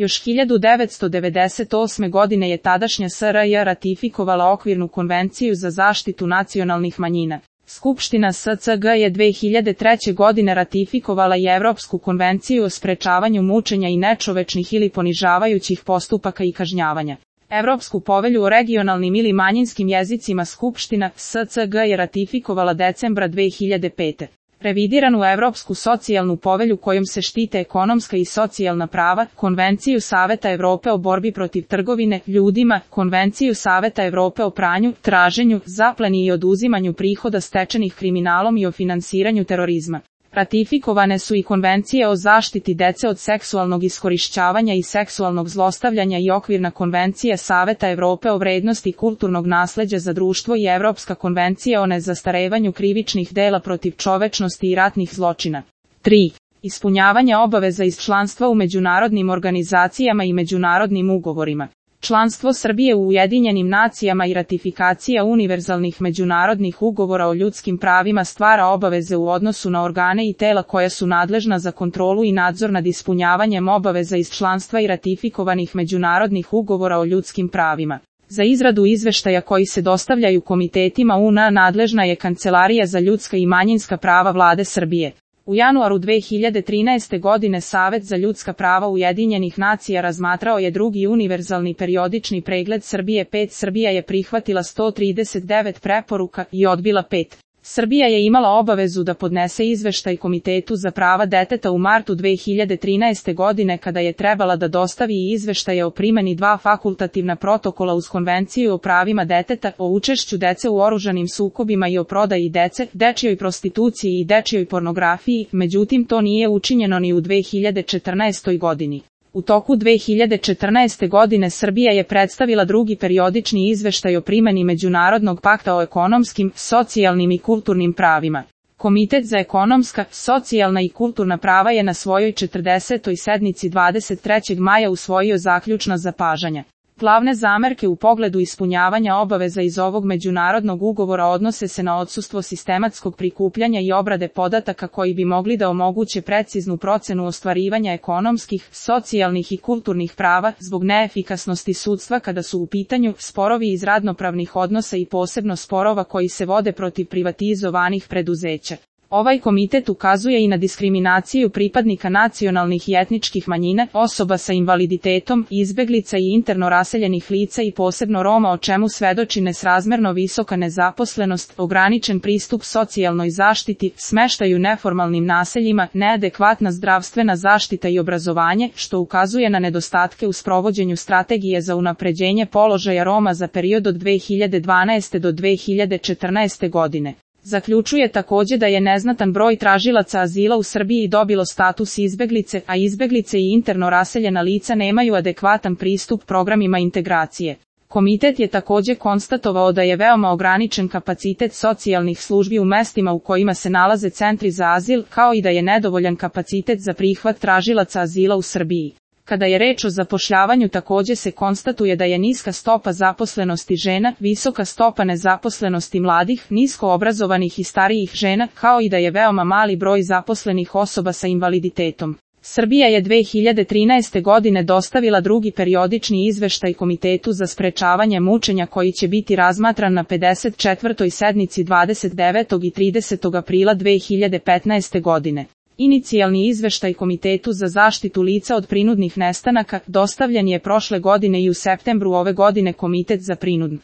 Još 1998. godine je tadašnja SRJ ratifikovala okvirnu konvenciju za zaštitu nacionalnih manjina. Skupština SCG je 2003. godine ratifikovala i Evropsku konvenciju o sprečavanju mučenja i nečovečnih ili ponižavajućih postupaka i kažnjavanja. Evropsku povelju o regionalnim ili manjinskim jezicima Skupština SCG je ratifikovala decembra 2005. Revidiranu Evropsku socijalnu povelju kojom se štite ekonomska i socijalna prava, Konvenciju Saveta Evrope o borbi protiv trgovine ljudima, Konvenciju Saveta Evrope o pranju, traženju, zapleni i oduzimanju prihoda stečenih kriminalom i o finansiranju terorizma. Ratifikovane su i konvencije o zaštiti dece od seksualnog iskorišćavanja i seksualnog zlostavljanja i okvirna konvencija Saveta Evrope o vrednosti kulturnog nasleđa za društvo i Evropska konvencija o nezastarevanju krivičnih dela protiv čovečnosti i ratnih zločina. 3. Ispunjavanje obaveza iz članstva u međunarodnim organizacijama i međunarodnim ugovorima. Članstvo Srbije u Ujedinjenim nacijama i ratifikacija univerzalnih međunarodnih ugovora o ljudskim pravima stvara obaveze u odnosu na organe i tela koja su nadležna za kontrolu i nadzor nad ispunjavanjem obaveza iz članstva i ratifikovanih međunarodnih ugovora o ljudskim pravima. Za izradu izveštaja koji se dostavljaju komitetima UN nadležna je Kancelarija za ljudska i manjinska prava Vlade Srbije. U januaru 2013. godine Savet za ljudska prava Ujedinjenih nacija razmatrao je drugi univerzalni periodični pregled Srbije 5. Srbija je prihvatila 139 preporuka i odbila 5. Srbija je imala obavezu da podnese izveštaj Komitetu za prava deteta u martu 2013. godine kada je trebala da dostavi i izveštaje o primjeni 2 fakultativna protokola uz Konvenciju o pravima deteta, o učešću dece u oružanim sukobima i o prodaji dece, dečijoj prostituciji i dečijoj pornografiji, međutim to nije učinjeno ni u 2014. godini. U toku 2014. godine Srbija je predstavila drugi periodični izveštaj o primjeni Međunarodnog pakta o ekonomskim, socijalnim i kulturnim pravima. Komitet za ekonomska, socijalna i kulturna prava je na svojoj 40. sednici 23. maja usvojio zaključna zapažanja. Glavne zamerke u pogledu ispunjavanja obaveza iz ovog međunarodnog ugovora odnose se na odsustvo sistematskog prikupljanja i obrade podataka koji bi mogli da omoguće preciznu procenu ostvarivanja ekonomskih, socijalnih i kulturnih prava zbog neefikasnosti sudstva kada su u pitanju sporovi iz radnopravnih odnosa i posebno sporova koji se vode protiv privatizovanih preduzeća. Ovaj komitet ukazuje i na diskriminaciju pripadnika nacionalnih i etničkih manjina, osoba sa invaliditetom, izbeglica i interno raseljenih lica i posebno Roma o čemu svedoči nesrazmerno visoka nezaposlenost, ograničen pristup socijalnoj zaštiti, smeštaj u neformalnim naseljima, neadekvatna zdravstvena zaštita i obrazovanje, što ukazuje na nedostatke u sprovođenju strategije za unapređenje položaja Roma za period od 2012. do 2014. godine. Zaključuje također da je neznatan broj tražilaca azila u Srbiji dobilo status izbeglice, a izbeglice i interno raseljena lica nemaju adekvatan pristup programima integracije. Komitet je također konstatovao da je veoma ograničen kapacitet socijalnih službi u mestima u kojima se nalaze centri za azil, kao i da je nedovoljan kapacitet za prihvat tražilaca azila u Srbiji. Kada je reč o zapošljavanju također se konstatuje da je niska stopa zaposlenosti žena, visoka stopa nezaposlenosti mladih, nisko obrazovanih i starijih žena, kao i da je veoma mali broj zaposlenih osoba sa invaliditetom. Srbija je 2013. godine dostavila drugi periodični izveštaj Komitetu za sprečavanje mučenja koji će biti razmatran na 54. sednici 29. i 30. aprila 2015. godine. Inicijalni izveštaj Komitetu za zaštitu lica od prinudnih nestanaka dostavljen je prošle godine i u septembru ove godine Komitet za prinudne